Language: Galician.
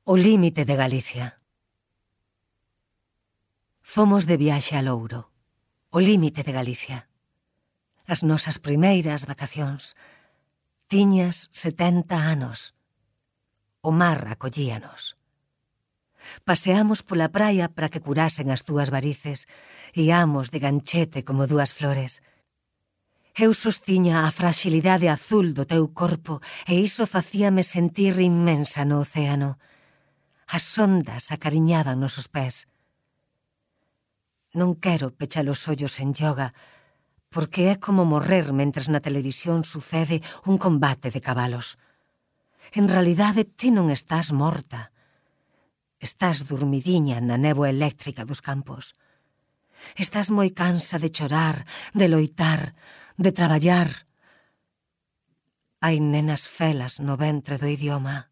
O límite de Galicia. Fomos de viaxe a Louro, o límite de Galicia. As nosas primeiras vacacións. Tiñas 70 anos. O mar acollíanos. Paseamos pola praia para que curasen as túas varices. Iamos de ganchete como dúas flores. Eu sostiña a fragilidade azul do teu corpo e iso facíame sentir inmensa no océano. As ondas acariñaban nosos pés. Non quero pechar os ollos en yoga, porque é como morrer mentres na televisión sucede un combate de cabalos. En realidade, ti non estás morta. Estás dormidiña na néboa eléctrica dos campos. Estás moi cansa de chorar, de loitar, de traballar. Hai nenas felas no ventre do idioma.